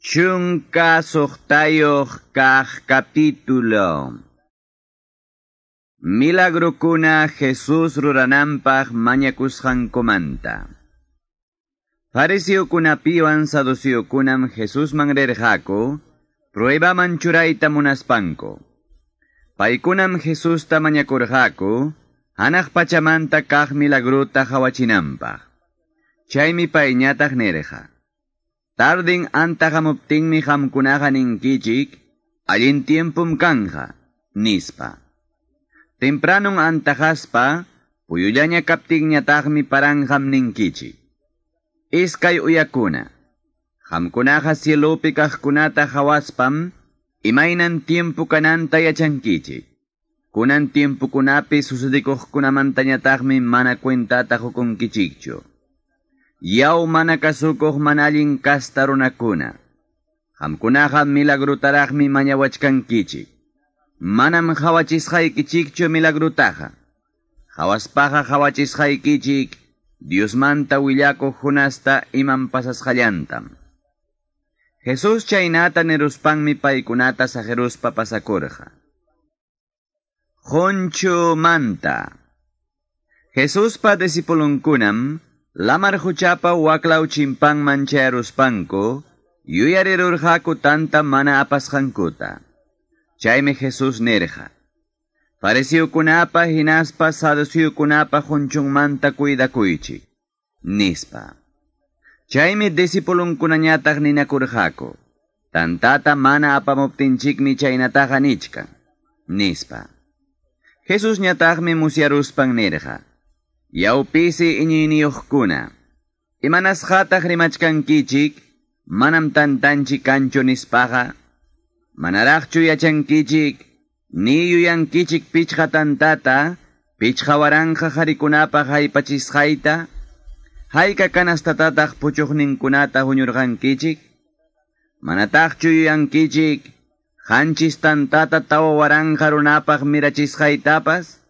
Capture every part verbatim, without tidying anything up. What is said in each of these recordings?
Chunka suqtayuq kaq capítulo. Milagrokuna Jesus rurananpaq mañakusqankumanta. Fariseokunapiwan saduceokunam Jesusman rirqaku, pruebaman churayta munaspanku. Paykunam Jesusta mañakurqaku, hanaq pachamanta kaq milagrota qawachinanpaq. Chaymi payñataq nirqa: Tardin antahamuptinmi qamkunaqa ninkichik, allin tiempum kanja, nispa. Tempranun antahaspa, puyullaña kaptinñataqmi paranqam ninkichik. Iskay uyakuna, qamkunaqa cielopi kaqkunata hawaspam, imaynan tiempo kananta yachankichik. Kunan tiempokunapi sucedikuqkunamantañataqmi mana cuentata qukunkichikchu. Yaw mana kasukuq mana allin kasta runakuna. Qamkunaqa milagrotaraqmi mañawachkankichik. Manam qawachisqaykichikchu milagrutaqa. Qawaspaqa qawachisqaykichik Diosmanta willakuq Jonasta imam pasasqallantam. Jesús chaynata niruspanmi paykunata saqiruspa pasakurqa. Qunchumanta. Jesuspa discipulunkunam lamar quchapa waklaw chimpanman chayaruspanku yuyarirurqaku tanta mana apasqankuta. Chaymi Jesús nirqa: Fariseokunapa hinaspa saduceokunapa qunchunmanta cuidakuychik, nispa. Chaymi discipulunkunañataq ninakurqaku: Tantata mana apamuptinchikmi chaynataqa nichkan, nispa. Jesusñataqmi musyaruspan nirqa: Yaw pisi iñiyniyuqkuna, imanasqataq rimachkankichik, manam tantanchik kanchu nispaqa? Manaraqchu yachankichik, ni yuyankichik pichqa tantata, pichqa waranqa qharikunapaq haypachisqayta? Hayka kanastatataq puchuqninkunata huñurqankichik? Manataqchu yuyankichik, qanchis tantata tawa waranqa runapaq mirachisqaytapas?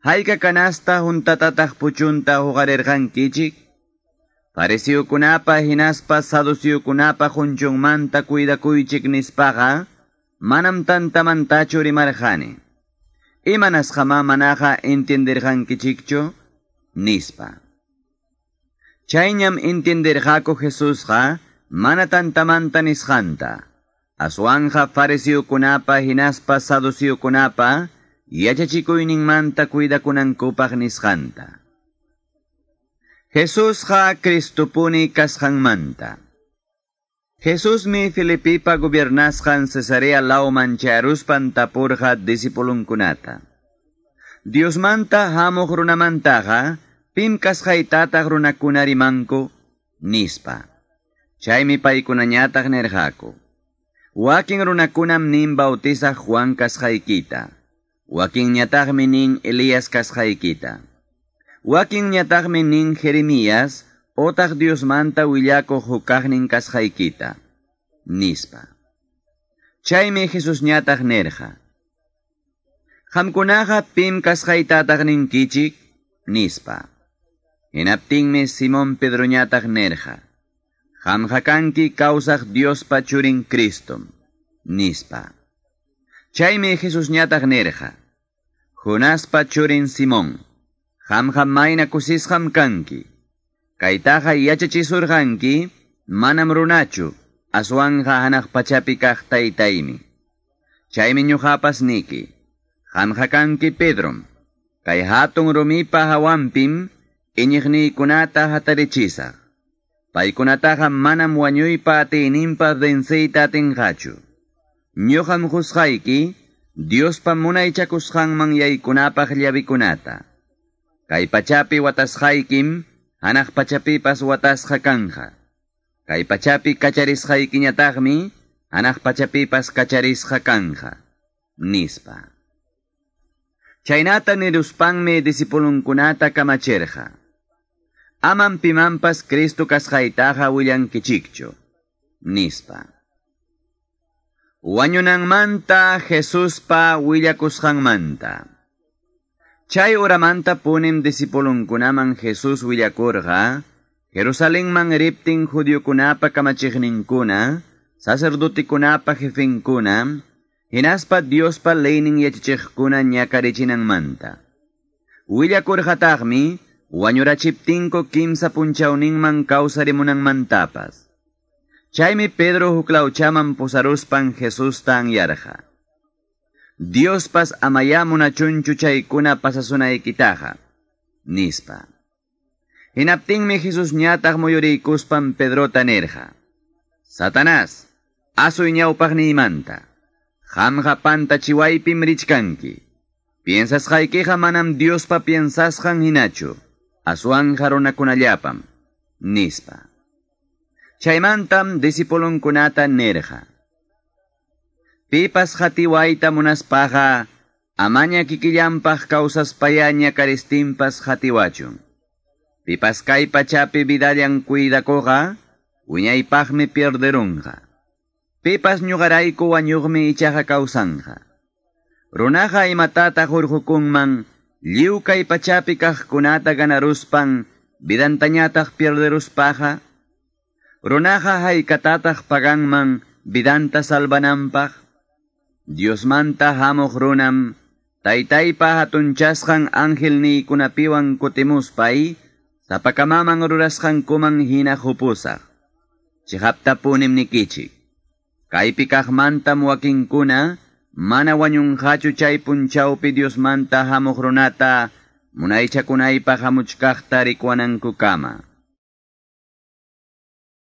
Hayka kanasta huntatataq puchunta huqarirqankichik? Fariseokunapa hinaspa saduceokunapa qunchunmanta cuidakuychik nispaqa, manam tantamantachu rimarqani. Imanasqamá manaqa entienderqankichikchu? Nispa. Chayñam entienderqaku Jesusqa mana tantamanta nisqanta. Aswanqa fariseokunapa hinaspa saduceokunapa yachachikuyninmanta cuidakunankupaq nisqanta. Jesusqa Cristopuni kasqanmanta. Jesusmi Filipipa gobernasqan Cesarea lawman chayaruspan tapurqa discipulunkunata: Diosmanta hamuq runamantaqa pim kasqaytataq runakuna rimanku? Nispa. Chaymi paykunañataq nirqaku: Wakin runakunam nin bautizaq Juan kasqaykita. Wakinñataqmi nin Elías kasqaykita. Wakinñataqmi nin Jeremías otaq Diosmanta willakuq hukaqnin kasqaykita, nispa. Chaymi Jesusñataq nirqa: Qamkunaqa pim kasqaytataq ninkichik? Nispa. Hinaptinmi Simón Pedroñataq nirqa: Qamqa kanki kawsaq Diospa churin Cristom, nispa. Chaymi Jesusñataq nirqa: Jonaspa churin Simón, qamqa mayna kusisqam kanki. Kaytaqa yachachisurqanki, manam runachu, aswanqa hanaq pachapi kaq taytaymi. Chaymi ñuqapas niki: Qamqa kanki Pedrom, kay hatun rumipa hawanpim iñiqniykunata hatarichisaq. Paykunataqa manam wañuypa atiyninpa venceyta atinqachu. Ñuqam qusqayki Diospa munaychakusqanman yaykunapaq llavikunata. Kay pachapi watasqaykim hanaq pachapipas watasqa kanja. Kay pachapi kacharisqaykiñataqmi hanaq pachapipas kacharisqa kanja, nispa. Chaynata niruspanmi discipulunkunata kamachirqa: Amam pimanpas Cristo kasqaytaqa willankichikchu, nispa. Wañunanmanta Jesuspa willakusqanmanta. Chay uramanta punim discipulunkunaman Jesús willakurqa, Jerusalenman riptin judiokunapa kamachiqninkuna, Sacerdotekunapa jefenkuna, hinaspa Diospa leynin yachachiqkuna ñakarichinanmanta. Willakurqataqmi wañurachiptinku kimsa punchawninman kawsarimunanmantapas. Chaymi Pedro huklawchaman pusaruspan Jesusta anyarqa. Diospas amayá munachunchu chaykuna pasasunaykitaqa, nispa. Hinaptinmi Jesus ñataq muyuriykuspan Pedrota nirqa. Satanás, asuy ñawpaqniymanta. Qamqa pantachiwaypim richkanki. Piensasqaykiqa manam Diospa piensasqan hinachu, aswanqa runakunallapam, nispa. Chaymantam discipulunkunata nirqa. Pipas qatiwayta munaspaqa, amaña kikillanpaq kawsaspaya ñakaristinpas qatiwachun. Pipas kay pachapi vidallan cuidakuqa, wiñaypaqmi pierderunqa. Pipas ñuqarayku wañuqmi ichaqa kawsanqa. Runaqa imatataq hurqukunman, lliw kay pachapi kaqkunata ganaruspan, vidantañataq pierderuspaqa. Runaqa haykatataq paganman vidanta salvananpaq. Diosmanta hamuq runam, taytaypa hatunchasqan angelniykunapiwan kutimuspay, sapakamaman rurasqankuman hina qupusaq. Chiqaptapunim nikichik. Kaypi kaqmantam wakinkuna, mana wañunqachu chay punchawpi Diosmanta hamuq runata, munaychakunaypaq hamuchkaqta rikuwanankukama.